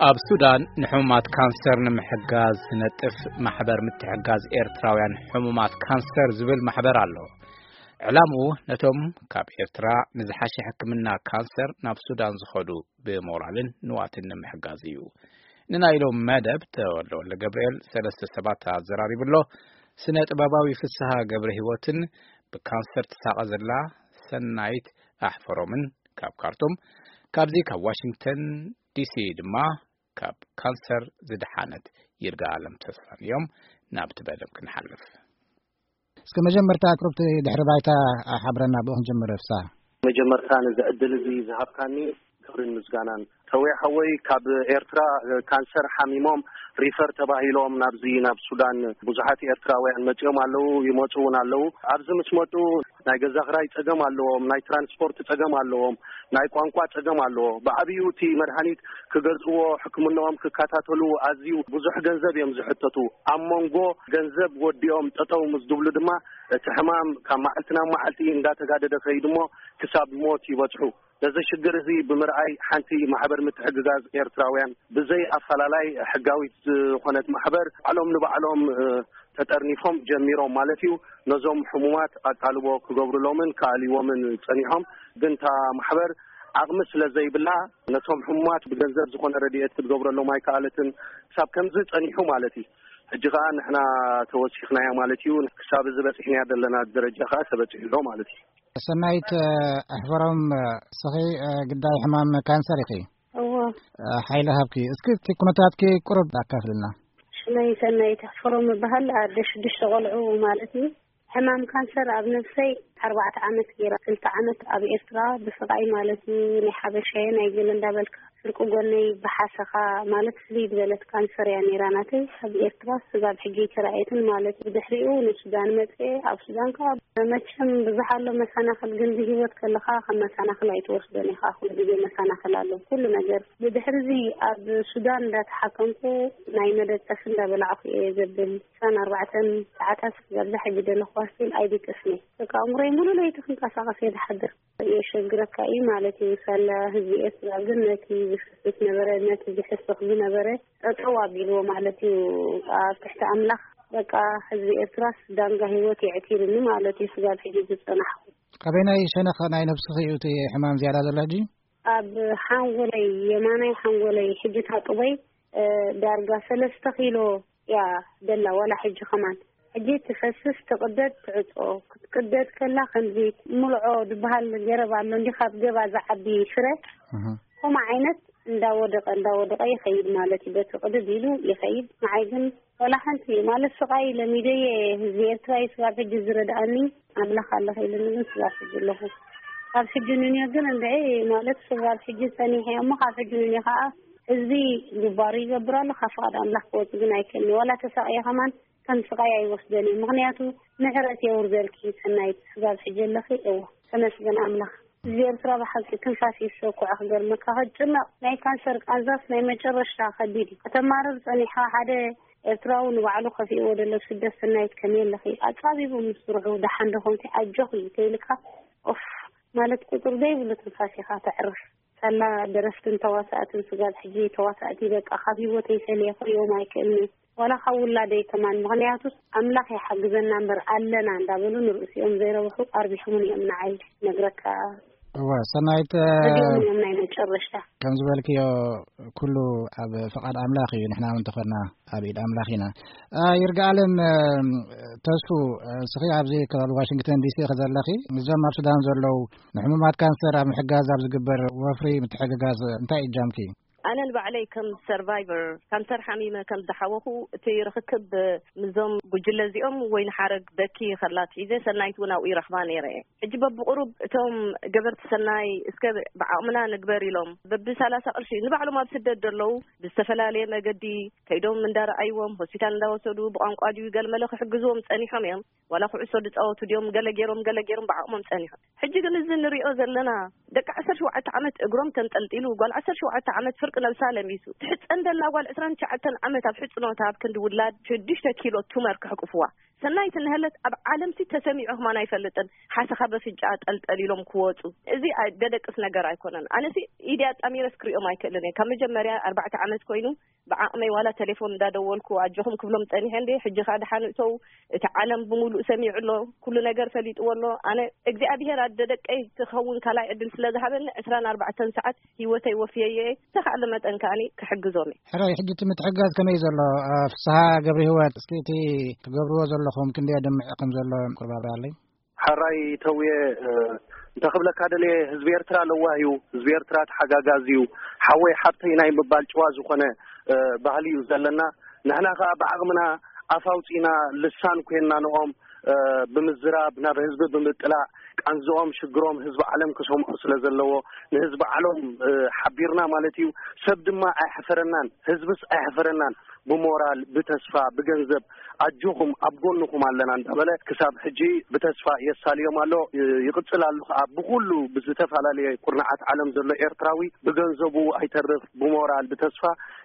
ኣብ ሱዳን ንሕሙማት ካንሰር ንምሕጋዝ ዝነጥፍ ማሕበር ምትሕጋዝ ኤርትራውያን ሕሙማት ካንሰር ዝብል ማሕበር ኣሎ። ዕላምኡ ነቶም ካብ ኤርትራ ንዝሓሸ ሕክምና ካንሰር ናብ ሱዳን ዝኸዱ ብሞራልን ንዋትን ንምሕጋዝ እዩ። ንናይ ሎም መደብ ተወልደ ወልደ ገብርኤል ሰለስተ ሰባት ኣዘራሪቡ ኣሎ። ስነ ጥበባዊ ፍስሃ ገብረ ህይወትን ብካንሰር ትሳቐ ዘላ ሰናይት ኣሕፈሮምን ካብ ካርቱም፣ ካብዚ ካብ ዋሽንግተን ዲሲ ድማ ካብ ካንሰር ዝደሓነት ይርጋ ኣለም ተስፋን እዮም። ናብቲ መደብ ክንሓልፍ። እስከ መጀመርታ ቁሩብቲ ድሕሪ ባይታ ሓብረና፣ ብኡ ክንጅምር። ፍስሃ። መጀመርታ ነዚ ዕድል እዚ ዝሃብካኒ ክብርን ምስጋናን። ተወይ ሓወይ፣ ካብ ኤርትራ ካንሰር ሓሚሞም ሪፈር ተባሂሎም ናብዚ ናብ ሱዳን ብዙሓት ኤርትራውያን መጺኦም ኣለዉ፣ ይመጹ እውን ኣለዉ። ኣብዚ ምስ መጡ ናይ ገዛ ክራይ ጸገም ኣለዎም፣ ናይ ትራንስፖርት ጸገም ኣለዎም፣ ናይ ቋንቋ ጸገም ኣለዎ። ብዓብዩ እቲ መድሃኒት ክገዝእዎ፣ ሕክምናኦም ክከታተሉ ኣዝዩ ብዙሕ ገንዘብ እዮም ዝሕተቱ። ኣብ መንጎ ገንዘብ ወዲኦም ጠጠው ምስ ዝብሉ ድማ እቲ ሕማም ካብ መዓልቲ ናብ መዓልቲ እንዳተጋደደ ከይዱ እሞ ክሳብ ሞት ይበጽሑ። ነዚ ሽግር እዚ ብምርኣይ ሓንቲ ማሕበር ምትሕግጋዝ ኤርትራውያን ብዘይ ኣፈላላይ ሕጋዊት ዝኾነት ማሕበር ባዕሎም ንባዕሎም፣ እ፣ ተጠርኒፎም ጀሚሮም ማለት እዩ። ነዞም ሕሙማት ኣቃልቦ ክገብሩሎምን ክኣልይዎምን ጸኒሖም። ግን እታ ማሕበር ዓቕሚ ስለ ዘይብላ ነቶም ሕሙማት ብገንዘብ ዝኾነ ረድኤት ክትገብረሎም ኣይከኣለትን። ክሳብ ከምዚ ጸኒሑ ማለት እዩ። ሕጂ ከኣ ንሕና ተወሲኽናዮ ማለት እዩ። ክሳብ እዚ በጺሕናዮ ዘለና ደረጃ ከኣ ተበጺሑ ኣሎ ማለት እዩ። ሰናይት፣ እ፣ ኣሕፈሮም፣ እ፣ ስኺ፣ እ፣ ግዳይ ሕማም ካንሰር ኢኺ። እዎ። እ፣ ሓይሊ ሃብኪ። እስኪ እቲ ኩነታትኪ ቁሩብ ኣካፍልና። ሽመይ ሰናይት ኣሕፈሮም እበሃል። ኣደ ሽዱሽተ ቆልዑ ማለት እዩ። ሕማም ካንሰር ኣብ ነፍሰይ ኣርባዕተ ዓመት ገይራ፣ ክልተ ዓመት ኣብ ኤርትራ ብስቓይ ማለት እዩ። ናይ ሓበሻ ናይ ገለ እንዳበልካ ፍርቂ ጎነይ ብሓሰኻ ማለት ፍልይ ዝበለት ካንሰር እያ ነይራ ናተይ። ኣብ ኤርትራ ስጋብ ሕጂ ኣይተራእየትን ማለት እዩ። ብድሕሪኡ ንሱዳን መጽኤ፣ ኣብ ሱዳን ከኣ መቸም ብዙሕ ኣሎ መሰናኽል፣ ግን ብህይወት ከለኻ ከም መሰናኽል ኣይትወስዶን ኢኻ። ኩሉ ግዜ መሰናኽል ኣሎ ኩሉ ነገር። ብድሕሪ እዚ ኣብ ሱዳን እንዳተሓከምኩ ናይ መደቀሲ እንዳበላዕኩ እየ ዘብል። ዕስራን ኣርባዕተን ሰዓታት ስጋብ ዝሕጂ ዘለኹዋ ስቲል ኣይድቅስን እየ። በቃ ኣእምሮይ ሙሉ ለይቲ ክንቀሳቐስ እየ ዝሓድር። የሸግረካ እዩ ማለት እዩ። ሳላ ህዝቢ ኤርትራ ግን ነቲ ዝፈስስ ነበረ፣ ነቲ ዝሕስኽ ዝነበረ ጠጠው ኣቢልዎ ማለት እዩ። ኣብ ትሕቲ ኣምላኽ በቃ ህዝቢ ኤርትራስ ዳንጋ ህይወት የዕቲርኒ ማለት እዩ። ስጋብ ሕጂ ዝጸናሕኩ። ካበይናይ ሸነኽ ናይ ነብስኺ እዩ እቲ ሕማም ዝያዳ ዘሎ ሕጂ? ኣብ ሓንጎለይ፣ የማናይ ሓንጎለይ፣ ሕጂ ታጥቦይ፣ እ፣ ዳርጋ ሰለስተ ኪሎ እያ ደላ፣ ዋላ ሕጂ ከማን። ሕጂ ትፈስስ፣ ትቕደድ፣ ትዕጾ። ክትቅደድ ከላ ከምዚ ሙልዖ ዝበሃል ገረብ ኣሎ እንዲ፣ ካብ ገባ ዝዓቢ ፍረ። እህ። ከምኡ ዓይነት እንዳወደቐ፣ እንዳወደቐ ይኸይድ ማለት እዩ። በቲ ቅድድ ኢሉ ይኸይድ። ንዓይ ግን ዋላ ሓንቲ ማለት ስቓይ ለሚደየ ህዝቢ ኤርትራ እዩ ስጋብ ሕጂ ዝረድኣኒ። ኣምላኽ ኣለኸ ኢሉኒ ግን ስጋብ ሕጂ ኣለኹ። ካብ ሕጂ ንንዮ ግን እንድዒ ማለት ስጋብ ሕጂ ጸኒሐ እሞ ካብ ሕጂ ንንዮ ከኣ ህዝቢ ግባሩ ይገብር ኣሎ። ካብ ፍቓድ ኣምላኽ ክወጽእ ግን ኣይክእልን። ዋላ ተሳቕየ ከማን ከም ስቓይ ኣይወስደን እዩ። ምኽንያቱ ምሕረት የውርደልኪ ሰናይት፣ ስጋብ ሕጂ ኣለኺ። እወ፣ ተመስገን ኣምላኽ። ህዝቢ ኤርትራ ብሓቂ ትንፋስ ይሰኩዖ። ክገርመካ፣ ከጭነቕ ናይ ካንሰር ቃንዛስ ናይ መጨረሽታ ከቢድ እዩ። ከተማርር ጸኒሕኻ፣ ሓደ ኤርትራዊ ንባዕሉ ከፊእዎ ደሎ ስደት ሰናይት ከመይ ኣለኺ? ኣጻቢቡ ምስ ስርሑ ደሓን ዶ ኾንኪ? ኣጆኺ ተይልካ ኦፍ ማለት ቁጽሪ ዘይብሉ ትንፋስ ኢኻ ተዕርፍ። ሳላ ደረፍትን ተዋሳእትን ስጋብ ሕጂ ተዋሳእቲ በቃ ካብ ህይወተይ ፈለየ ክሪኦም ኣይክእልን። ዋላ ካብ ውላደይ ከማን፣ ምኽንያቱስ ኣምላኽ ይሓግዘና እምበር ኣለና እንዳበሉ ንርእሲኦም ዘይረብሑ ኣርቢሖምን እዮም ንዓይ ነግረካ። እወ፣ ሰናይት፣ እ፣ እዚኦም እዮም ናይ መጨረሽታ። ከም ዝበልክዮ ኩሉ ኣብ ፍቓድ ኣምላኽ እዩ፣ ንሕና እውን እንተኾንና ኣብ ኢድ ኣምላኽ ኢና። እ፣ ይርጋኣለም፣ እ፣ ተስፉ፣ እ፣ ስኺ ኣብዚ ከባቢ ዋሽንግተን ዲሲ ኢኺ ዘለኺ፣ ምስዞም ኣብ ሱዳን ዘለዉ ንሕሙማት ካንሰር ኣብ ምሕጋዝ ኣብ ዝግበር ወፍሪ ምትሕግጋዝ እንታይ እጃምኪ? ኣነ ንባዕለይ ከም ሰርቫይቨር ካንሰር ሓሚመ ከም ዝሓወኹ፣ እቲ ርኽክብ ምስዞም ጉጅለ እዚኦም ወይ ንሓረግ በኪ ከላ ኣትሒዘ፣ ሰናይት እውን ኣብኡ ይረኽባ ነይረ እየ። ሕጂ በብቁሩብ እቶም ገበርቲ ሰናይ እስከ ብዓቕምና ንግበር ኢሎም በቢ ሰላሳ ቅርሺ ንባዕሎም ኣብ ስደት ዘለዉ ብዝተፈላለየ መገዲ ከይዶም እንዳረኣይዎም፣ ሆስፒታል እንዳወሰዱ፣ ብቋንቋ ድዩ ገለመለ ክሕግዝዎም ጸኒሖም እዮም። ዋላ ኩዕሶ ዝጻወቱ ድዮም፣ ገለ ገይሮም፣ ገለ ገይሮም ብዓቕሞም ጸኒሖም። ሕጂ ግን እዚ ንሪኦ ዘለና ደቂ ዓሰርተ ሸውዓተ ዓመት እግሮም ተንጠልጢሉ፣ ጓል ዓሰርተ ሸውዓተ ዓመት ፍርቂ ደቂ ነብሳ ለሚሱ። ትሕፀን ደላ ጓል ዕስራን ትሽዓተን ዓመት ኣብ ሕፅኖታ ኣብ ክንዲ ውላድ ሽዱሽተ ኪሎ ቱመር ክሕቁፍዋ። ሰናይት እንሀለት ኣብ ዓለምሲ ተሰሚዑ ከማን ኣይፈልጥን። ሓሰኻ በፍንጫ ጠልጠል ኢሎም ክወፁ። እዚ ኣይ-፣ ደደቅስ ነገር ኣይኮነን። ኣነሲ ኢዲ ኣጣሚረስ ክሪኦም ኣይክእልን እየ። ካብ መጀመርያ ኣርባዕተ ዓመት ኮይኑ ብዓቕመይ ዋላ ቴሌፎን እንዳደወልኩ ኣጆኹም ክብሎም ጸኒሐ እንዴ፣ ሕጂ ኸኣ ደሓን እተው፣ እቲ ዓለም ብምሉእ ሰሚዑ ኣሎ፣ ኩሉ ነገር ፈሊጥዎ ኣሎ። ኣነ እግዚኣብሔር ኣደ ደቀይ ክኸውን ካልኣይ ዕድል ስለ ዝሃበኒ ዕስራን ኣርባዕተን ሰዓት ህይወተይ ወፍየየ እየ። ብዝተኻእለ መጠን ከኣኒ ክሕግዞም እየ። ሕራይ፣ ሕጂ እቲ ምትሕግጋዝ ከመይ ዘሎ? እ፣ ፍስሃ ገብረ ህይወት፣ እስኪ እቲ ትገብርዎ ዘለኹም ክንደይ ኣድማዒ ከም ዘሎ ቁርብ ኣብርሃለይ። ሕራይ ተውየ፣ እ፣ እንተ ክብለካ ደልየ፣ ህዝቢ ኤርትራ ለዋህ እዩ፣ ህዝቢ ኤርትራ ተሓጋጋዚ እዩ፣ ሓወይ ሓብተይ ናይ ምባል ጭዋ ዝኾነ፣ እ፣ ባህሊ እዩ ዘለና። ንሕና ከኣ ብዓቕምና ኣፍ ኣውጺእና ልሳን ኮይንና ንኦም፣ እ፣ ብምዝራብ፣ ናብ ህዝቢ ብምጥላዕ፣ ቃንዝኦም፣ ሽግሮም ህዝቢ ዓለም ክሰምዖ ስለ ዘለዎ፣ ንህዝቢ ዓለም፣ እ፣ ሓቢርና ማለት እዩ። ሰብ ድማ ኣይሕፈረናን፣ ህዝብስ ኣይሕፈረናን። ብሞራል፣ ብተስፋ፣ ብገንዘብ ኣጆኹም ኣብ ጎንኹም ኣለና እንዳበለ ክሳብ ሕጂ ብተስፋ የሳልዮም ኣሎ። እ፣ ይቕጽል ኣሎ ከኣ ብኹሉ ብዝተፈላለየ ኩርናዓት ዓለም ዘሎ ኤርትራዊ ብገንዘቡ ኣይተርፍ፣ ብሞራል፣ ብተስፋ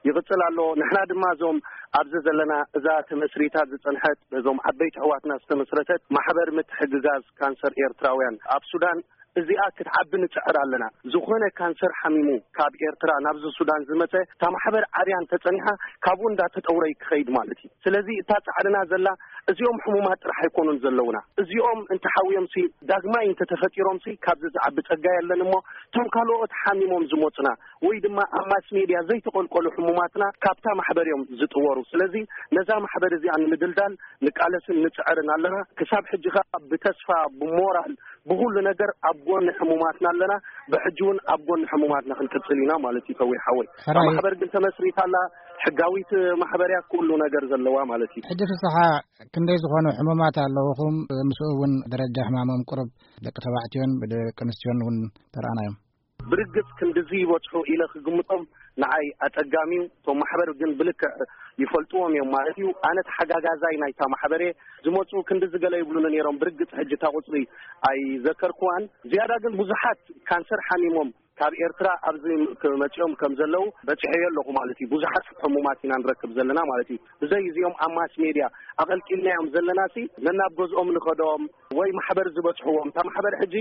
ይቕጽል ኣሎ። ንሕና ድማ እዞም ኣብዚ ዘለና እዛ ተመስሪታ ዝጸንሐት በዞም ዓበይቲ ኣሕዋትና ዝተመስረተት ማሕበር ምትሕግጋዝ ካንሰር ኤርትራውያን ኣብ ሱዳን እዚኣ ክትዓቢ ንጽዕር ኣለና። ዝኾነ ካንሰር ሓሚሙ ካብ ኤርትራ ናብዚ ሱዳን ዝመጸ፣ እታ ማሕበር ዓብያ እንተጸኒሓ ካብኡ እንዳተጠውረ ክኸይድ ማለት እዩ። ስለዚ እታ ጻዕርና ዘላ እዚኦም ሕሙማት ጥራሕ ኣይኮኑን ዘለውና። እዚኦም እንተሓውዮምሲ ዳግማይ እንተተፈጢሮምሲ ካብዚ ዝዓቢ ጸጋ የለን እሞ፣ እቶም ካልኦት ሓሚሞም ዝመጹና ወይ ድማ ኣብ ማስ ሜድያ ዘይተቆልቆሉ ሕሙማትና ካብታ ማሕበር እዮም ዝጥወሩ። ስለዚ ነዛ ማሕበር እዚኣ ንምድልዳል ንቃለስን ንጽዕርን ኣለና። ክሳብ ሕጂ ከኣ ብተስፋ፣ ብሞራል፣ ብኹሉ ነገር ኣብ ጎኒ ሕሙማትና ኣለና። ብሕጂ እውን ኣብ ጎኒ ሕሙማትና ክንቅጽል ኢና ማለት እዩ። ከዊት ሓወይ፣ እታ ሕራይ። ማሕበር ግን ተመስሪታ ኣላ። ሕጋዊት ማሕበር እያ፣ ኩሉ ነገር ዘለዋ ማለት እዩ። ሕጂ ፍስሓ፣ ክንደይ ዝኾኑ ሕሙማት ኣለውኹም? ምስኡ እውን ደረጃ ሕማሞም ቁሩብ ደቂ ተባዕትዮን ብደቂ ኣንስትዮን እውን ተረኣናዮም። ብርግጽ ክንድዚ ይበጽሑ ኢለ ክግምጦም ንዓይ ኣጸጋሚ እዩ። እቶም ማሕበር ግን ብልክዕ ይፈልጥዎም እዮም ማለት እዩ። ኣነ ተሓጋጋዛይ ናይታ ማሕበር እየ። ዝመጹ ክንድዚ ገለ ይብሉኒ ነይሮም። ብርግጽ ሕጂ እታ ቁጽሪ ኣይዘከርኩዋን። ዝያዳ ግን ብዙሓት ካንሰር ሓሚሞም ካብ ኤርትራ ኣብዚ ክመጽኦም ከም ዘለዉ በጺሐዮ ኣለኹ ማለት እዩ። ብዙሓት ሕሙማት ኢና ንረክብ ዘለና ማለት እዩ። ብዘይ እዚኦም ኣብ ማስ ሜድያ ኣቐልቂልናዮም ዘለናሲ ነናብ ገዝኦም ንኸዶም ወይ ማሕበር ዝበጽሕዎም። እታ ማሕበር ሕጂ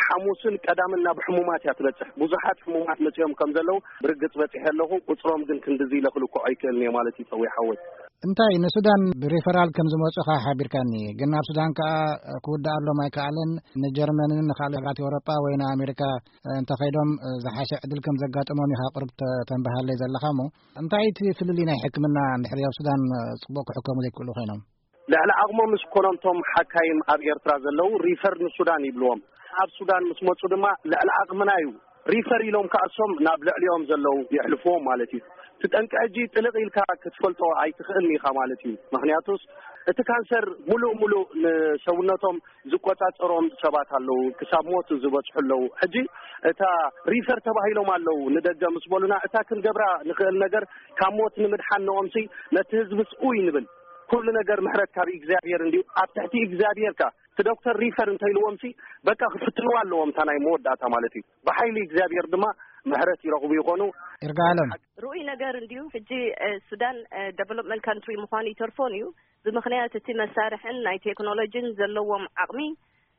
ሓሙስን ቀዳምን ናብ ሕሙማት እያ ትበጽሕ። ብዙሓት ሕሙማት መጺኦም ከም ዘለዉ ብርግጽ በጺሐ ኣለኹ። ቁጽሮም ግን ክንድዚ ኢለ ክልክዖ ኣይክእልን እየ ማለት እዩ፣ ጸዊሕ ሓወይ። እንታይ ንሱዳን ብሪፈራል ከም ዝመጹ ኸኣ ሓቢርካኒ፣ ግን ናብ ሱዳን ከኣ ክውድኣሎም ኣይከኣለን። ንጀርመንን ንኻልእ ሃገራት ኤውሮጳ ወይ ንኣሜሪካ እንተኸይዶም ዝሓሸ ዕድል ከም ዘጋጠሞም ኢኻ ቁሩብ ተ-፣ ተንብሃለይ ዘለኻ እሞ፣ እንታይ እቲ ፍልልይ ናይ ሕክምና እንድሕር ኣብ ሱዳን ጽቡቕ ክሕከሙ ዘይክእሉ ኮይኖም? ልዕሊ ዓቕሞም ምስ ኮኖም እቶም ሓካይም ኣብ ኤርትራ ዘለዉ ሪፈር ንሱዳን ይብልዎም። ኣብ ሱዳን ምስ መጹ ድማ ልዕሊ ዓቕምና እዩ ሪፈር ኢሎም ከኣሶም ናብ ልዕሊኦም ዘለዉ የሕልፍዎም ማለት እዩ። እቲ ጠንቂ ሕጂ ጥልቕ ኢልካ ክትፈልጦ ኣይትኽእልን ኢኻ ማለት እዩ። ምኽንያቱስ እቲ ካንሰር ሙሉእ ሙሉእ ንሰውነቶም ዝቆጻጸሮም ሰባት ኣለዉ፣ ክሳብ ሞት ዝበጽሑ ኣለዉ። ሕጂ እታ ሪፈር ተባሂሎም ኣለዉ ንደገ ምስ በሉና፣ እታ ክንገብራ ንኽእል ነገር ካብ ሞት ንምድሓን ንኦምሲ ነቲ ህዝብስ ኡይ ንብል። ኩሉ ነገር ምሕረት ካብ እግዚኣብሔር እንድዩ። ኣብ ትሕቲ እግዚኣብሔር ከ እቲ ዶክተር ሪፈር እንተኢልዎምሲ በቃ ክፍትንዋ ኣለዎም፣ እታ ናይ መወዳእታ ማለት እዩ። ብሓይሊ እግዚኣብሔር ድማ ምሕረት ይረኽቡ ይኾኑ። ይርጋለም። ርኡይ ነገር እንድዩ። ሕጂ፣ እ፣ ሱዳን፣ እ፣ ደቨሎፕመንት ካንትሪ ምዃኑ ይተርፎን እዩ። ብምኽንያት እቲ መሳርሕን ናይ ቴክኖሎጂን ዘለዎም ዓቕሚ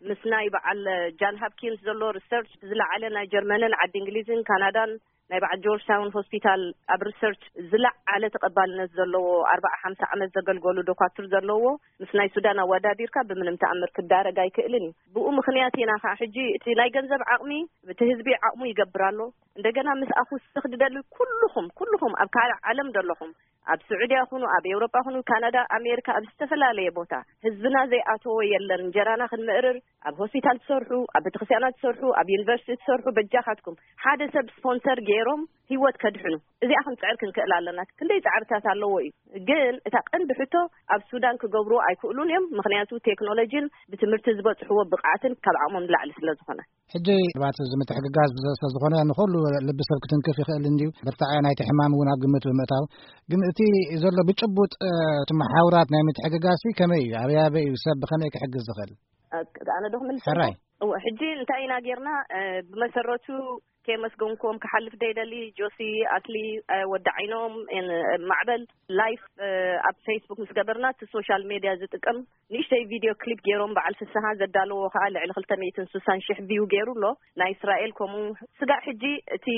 ምስ ናይ በዓል ጃን ሃፕኪንስ ዘሎ ሪሰርች ዝለዓለ ናይ ጀርመንን ዓዲ እንግሊዝን ካናዳን ናይ በዓል ጆርጅ ታውን ሆስፒታል ኣብ ሪሰርች ዝለዓለ ተቐባልነት ዘለዎ ኣርባዓ ሓምሳ ዓመት ዘገልገሉ ዶኳትር ዘለዎ ምስ ናይ ሱዳን ኣወዳዲርካ ብምንም ተኣምር ክዳረግ ኣይክእልን እዩ። ብኡ ምኽንያት ኢና ኸዓ ሕጂ እቲ ናይ ገንዘብ ዓቕሚ እቲ ህዝቢ ዓቕሙ ይገብር ኣሎ። እንደገና ምስኣ ክውስኽ ዝደሊ ኩልኹም፣ ኩልኹም ኣብ ካልእ ዓለም ዘለኹም ኣብ ስዑድያ ኩኑ፣ ኣብ ኤውሮጳ ኩኑ፣ ካናዳ፣ ኣሜሪካ፣ ኣብ ዝተፈላለየ ቦታ ህዝብና ዘይኣተዎ የለን። እንጀራና ክንምእርር፣ ኣብ ሆስፒታል ትሰርሑ፣ ኣብ ቤተክርስትያናት ትሰርሑ፣ ኣብ ዩኒቨርሲቲ ትሰርሑ፣ በጃኻትኩም ሓደ ሰብ ስፖንሰር ገይሮም ህይወት ከድሕኑ እዚኣ ክንጽዕር ክንክእል ኣለና። ክንደይ ጻዕርታት ኣለዎ እዩ። ግን እታ ቀንዲ ሕቶ ኣብ ሱዳን ክገብርዎ ኣይክእሉን እዮም። ምኽንያቱ ቴክኖሎጂን ብትምህርቲ ዝበጽሕዎ ብቕዓትን ካብ ዓቕሞም ንላዕሊ ስለ ዝኾነ። ሕጂ ባት እዚ ምትሕግጋዝ ስለ ዝኾነ ንኹሉ ልቢ ሰብ ክትንክፍ ይኽእል እንድዩ። ብርታዐ ናይቲ ሕማም እውን ኣብ ግምት ብምእታው፣ ግን እቲ ዘሎ ብጭቡጥ፣ እ፣ እቲ መሓውራት ናይ ምትሕግጋዝ ከመይ እዩ? ኣበይ ኣበይ እዩ ሰብ ብኸመይ ክሕግዝ ዝኽእል? እ፣ ኣነ ዶ ክምልስ ሕራይ። ኣለዎ? እወ፣ ሕጂ እንታይ ኢና ጌርና? እ፣ ብመሰረቱ የመስገንኩም። ክሓልፍ ደይደሊ ጆሲ፣ ኣትሊ፣ ወዲ ዓይኖም፣ ማዕበል፣ ላይፍ ኣብ ፌስቡክ ምስ ገበርና፣ እቲ ሶሻል ሜድያ ዝጥቀም ንእሽተይ ቪድዮ ክሊፕ ገይሮም፣ በዓል ፍስሃ ዘዳለዎ ከዓ ልዕሊ ክልተ ሚእትን ስሳን ሽሕ ቪው ገይሩ ኣሎ። ናይ እስራኤል ከምኡ። ስጋዕ ሕጂ እቲ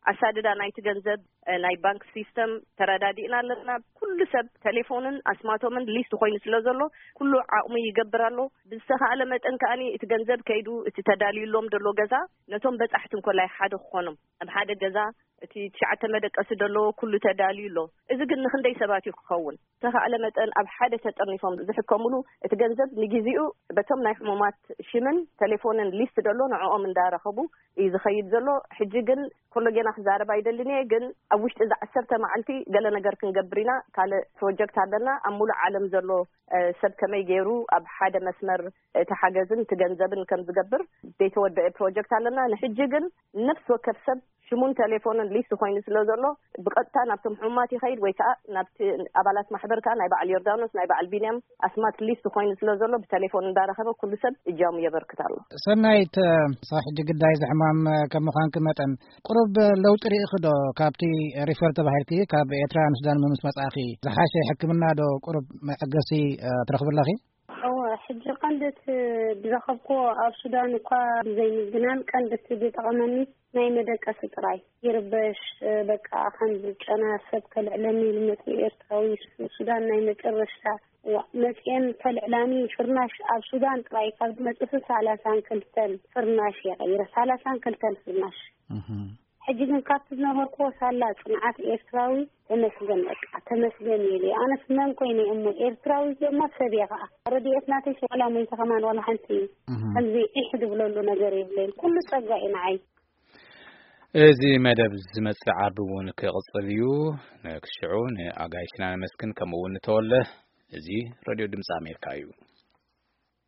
ኣሳድዳ ናይቲ ገንዘብ፣ ናይ ባንክ ሲስተም ተረዳዲእና ኣለና። ኩሉ ሰብ ቴሌፎንን ኣስማቶምን ሊስት ኮይኑ ስለ ዘሎ፣ ኩሉ ዓቕሙ ይገብር ኣሎ። ብዝተኻእለ መጠን ከኣኒ እቲ ገንዘብ ከይዱ እቲ ተዳልዩሎም ዘሎ ገዛ፣ ነቶም በጻሕቲ እንኮላይ ሓደ ክኾኖም፣ ኣብ ሓደ ገዛ እቲ ትሽዓተ መደቀሲ ዘለዎ ኩሉ ተዳልዩ ኣሎ። እዚ ግን ንክንደይ ሰባት እዩ ክኸውን? ዝተኻእለ መጠን ኣብ ሓደ ተጠርኒፎም ዝሕከሙሉ፣ እቲ ገንዘብ ንግዜኡ በቶም ናይ ሕሙማት ሽምን ቴሌፎንን ሊስት ዘሎ ንዕኦም እንዳረኸቡ እዩ ዝኸይድ ዘሎ። ሕጂ ግን ኮሎጌና ክዛረብ ኣይደልን እየ፣ ግን ኣብ ውሽጢ እዚ ዓሰርተ መዓልቲ ገለ ነገር ክንገብር ኢና። ካልእ ፕሮጀክት ኣለና። ኣብ ሙሉእ ዓለም ዘሎ፣ እ፣ ሰብ ከመይ ገይሩ ኣብ ሓደ መስመር እቲ ሓገዝን እቲ ገንዘብን ከም ዝገብር ዘይተወደአ ፕሮጀክት ኣለና። ንሕጂ ግን ነፍሲ ወከፍ ሰብ ሽሙን ቴሌፎንን ሊስት ኮይኑ ስለ ዘሎ፣ ብቐጥታ ናብቶም ሕሙማት ይኸይድ ወይ ከዓ ናብቲ ኣባላት ማሕበር ከዓ ናይ በዓል ዮርዳኖስ፣ ናይ በዓል ቢንያም ኣስማት ሊስት ኮይኑ ስለ ዘሎ፣ ብቴሌፎን እንዳረኸበ ኩሉ ሰብ እጃሙ የበርክት ኣሎ። ሰናይት፣ ሳብ ሕጂ ግዳይ ዝሕማም ከም ምዃንኪ መጠን፣ ቁሩብ ለውጢ ርኢኺ ዶ ካብቲ ሪፈር ተባሂልኪ ካብ ኤርትራ ንሱዳን ምስ መጻእኺ፣ ዝሓሸ ሕክምና ዶ ቁሩብ መዐገሲ፣ እ፣ ትረኽቢ ኣለኺ? እወ፣ ሕጂ ቀንዲ እቲ ዝረኸብክዎ ኣብ ሱዳን እኳ ብዘይምዝናን፣ ቀንዲ እቲ ዝጠቐመኒ ናይ መደቀሲ ጥራይ። ይርበሽ፣ እ፣ በቃ ከም ዝጨና ሰብ ከልዕለኒ ኢሉ መጺኡ ኤርትራዊ ሱ-፣ ሱዳን ናይ መጨረሽታ። እዋ፣ መጺኤን ከልዕላኒ ፍርናሽ ኣብ ሱዳን ጥራይ ካብ ዝመጽእ ሰላሳን ክልተን ፍርናሽ እየ ቀይረ። ሰላሳን ክልተን ፍርናሽ። እህ። ሕጂ ግን ካብቲ ዝነበርክዎ ሳላ ጽንዓት ኤርትራዊ ተመስገን፣ በቃ ተመስገን እየ ኢለ። ኣነስ መን ኮይነ እሞ ኤርትራዊ እየ እሞ ሰብ እየ ከኣ። ረድኤት ናተይ ዋላ ሞይተ ከማን ዋላ ሓንቲ እህ። ከምዚ ዒሕ ዝብለሉ ነገር የብለይን። ኩሉ ጸጋ እዩ ንዓይ። እዚ መደብ ዝመጽእ ዓርቢ እውን ክቕጽል እዩ። ንክስሽዑ ንኣጋይሽና ነመስግን፣ ከምኡ እውን ንተወለ። እዚ ሬድዮ ድምፂ ኣሜሪካ እዩ።